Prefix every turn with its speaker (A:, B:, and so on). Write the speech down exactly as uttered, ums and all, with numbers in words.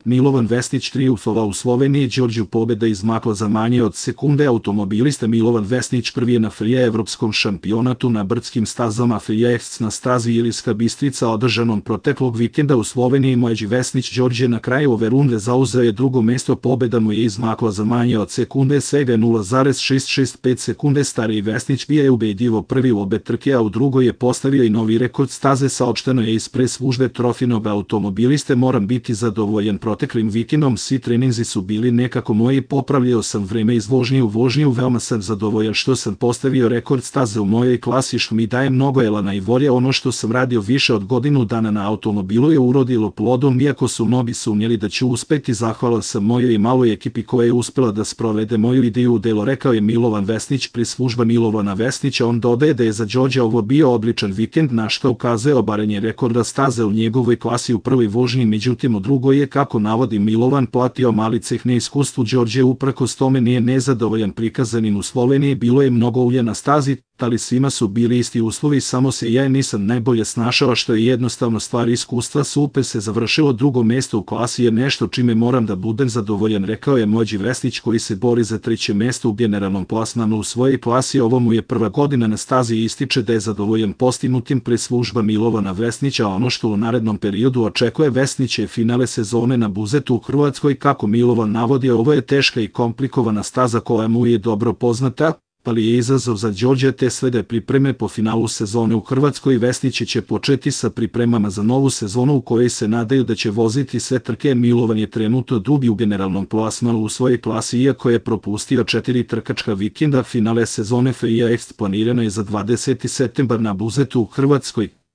A: Milovan Vesnić trijumfovao u Sloveniji, Đorđu pobjeda izmakla za manje od sekunde. Automobilista Milovan Vesnić prvi je na F I A evropskom šampionatu na brdskim stazama F I A na stazi Ilirska Bistrica održanom proteklog vikenda u Sloveniji. Mlađi Vesnić Đorđe na kraju ove runde zauzeo je drugo mesto, pobjeda mu je izmakla za manje od sekunde, svega nula zarez šest šest pet sekunde. Stariji Vesnić bio je ubedljivo prvi u obe trke, a u drugoj je postavio i novi rekord staze. Saopšteno je iz pres službe Trofinog automobiliste: moram biti zadovoljan proteklim vikendom, svi treninzi su bili nekako moji, popravljao sam vreme iz vožnje u vožnju, veoma sam zadovoljan što sam postavio rekord staze u mojoj klasi, što mi daje mnogo elana i volje. Ono što sam radio više od godinu dana na automobilu je urodilo plodom, iako su mnogi sumnjali da ću uspeti. Zahvalan sam mojoj i maloj ekipi koja je uspela da sprovede moju ideju u delo, rekao je Milovan Vesnić, pres služba Milovana Vesnića. On dodaje da je za Đorđa ovo bio odličan vikend, na što ukazuje obaranje rekorda staze u njegovoj klasi u prvoj vožnji, međutim u drugoj je, kako navodi Milovan, platio mali ceh neiskustvu. Đorđe uprkos tome nije nezadovoljan prikazanim u Sloveniji. Bilo je mnogo ulja na stazi, ali svima su bili isti uslovi, samo se ja nisam najbolje snašao, što je jednostavno stvar iskustva. Super se završilo, drugo mesto u klasi je nešto čime moram da budem zadovoljan, rekao je mlađi Vesnić koji se bori za treće mesto u generalnom plasmanu u svojoj klasi. Ovo mu je prva godina na stazi i ističe da je zadovoljan postignutim. Pres služba Milovana Vesnića, ono što u narednom periodu očekuje Vesnić je finale sezone na Buzetu u Hrvatskoj. Kako Milovan navodi, ovo je teška i komplikovana staza koja mu je dobro poznata, ali je izazov za Đorđa te slede pripreme po finalu sezone u Hrvatskoj. Vesnić će početi sa pripremama za novu sezonu u kojoj se nadaju da će voziti sve trke. Milovan je trenutno drugi u generalnom plasmanu u svojoj klasi, iako je propustio četiri trkačka vikenda. Finale sezone F I A planirano je za dvadeseti septembar na Buzetu u Hrvatskoj.